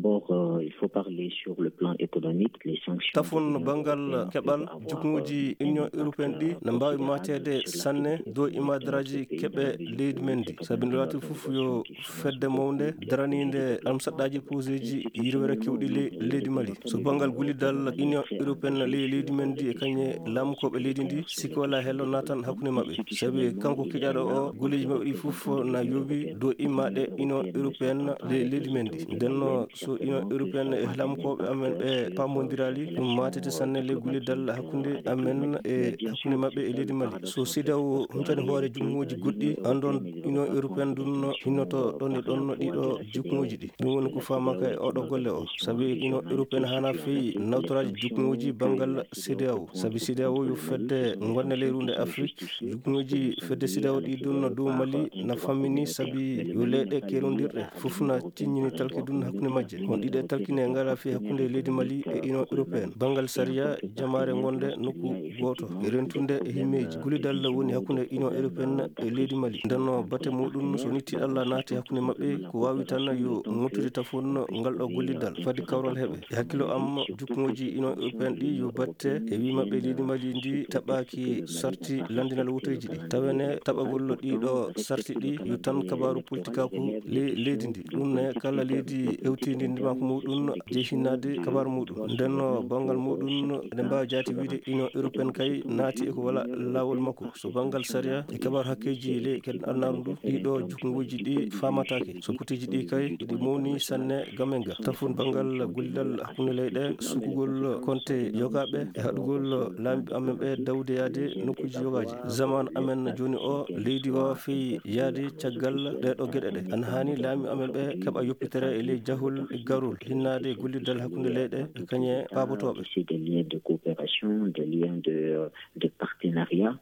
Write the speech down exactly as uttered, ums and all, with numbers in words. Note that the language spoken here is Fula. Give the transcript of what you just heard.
D'abord, euh, il faut parler sur le plan économique, les sanctions. Tafon banngal keɓal, jukkuuji Union européenne ɗi na mbaawi maateede sanne dow imadaraaji keɓe leydi men ndi. Sabi nde laati fof yo fedde mawnde daraniinde am saɗɗaaji poseeji yirwere kewɗi le-, leydi Mali. So banngal gullidal Union européenne le-, leydi men ndi e kañe laamukooɓe leydi ndi, sikke wala hello naatan hakkunde maɓɓe. Sabi kanko keƴaaɗo o, golleeji maɓɓe ɗi fof na yooɓi dow immaaɗe Union européenne le-, leydi men ndi. Ndenno so Union européenne e laamukooɓe amen ɓe paamondiraali, ɗum maatete sanne le gullidal hakkunde amen e hakkunde maɓɓe e leydi Mali. So CEDEAO huncani hoore jukkuuji goɗɗi, andon Union européenne ɗum no hinnoto ɗon e ɗon ɗiɗo jukkuuji ɗi. Ɗum woni ko faamaka e oɗo golle o. Sabi Union européenne hana feyi nawtoraaji jukkuuji banngal CEDEAO. Sabi CEDEAO yo fedde ngonne leyrunde Afrique. Jukkuuji fedde CEDEAO ɗi ɗum no dow Mali na fammini sabi yo leyɗe kerondirɗe fof na tiññini talki ɗum hakkunde majje. On ɗiɗe talkine ngala fi hakkunde leydi Mali e Union européenne. Banngal sariya jamaare gonde nokku gooto e rentunde e himmeeji. Gullidal woni hakkunde Union européenne e leydi Mali. Ndenno batte muɗum so nitti Allah naati hakkunde maɓɓe, ko waawi tan yo ŋottude tafon ngal ɗo gullidal. Fadi kawral heɓe. E hakkilo am, jukkuuji Union européenne ɗi yo batte e wi maɓɓe leydi Mali ndi taɓaaki sarti landinal woteeji ɗi. Tawene taɓagol ɗiɗo sarti ɗi yo tan kabaaru politikaaku le-, leydi ndi. Ɗum ne kala leydi hewtindi ndimaako muɗum jeyi hinnaade kabaaru muɗum. Ndenno banngal muɗum eɗen mbaawi jaati wiide Union européenne kay naati e ko wala laawol makko. So banngal sariya e kabaaru hakkeeji le-, kadi alnaaru ndu, ɗiɗo jukkuuji ɗi faamataake. So koteeji ɗi kay eɗi mawni sanne game ga. Tafon banngal gullidal hakkunde leyɗe, sukugol konte yogaaɓe e haɗugol laamiiɓe amen ɓe dawde yaade nokkuuji yogaaji. Zaman amen jooni o, leydi waawa fey yaade caggal ɗee ɗoo geɗe ɗe. Ana haani laamiiɓe amen ɓe keɓa yoppitere e ley jahol e garol, hinnaade gullidal hakkunde leyɗe e kañe paabotooɓe. C'est des liens de coopération, des liens de, de partenariat.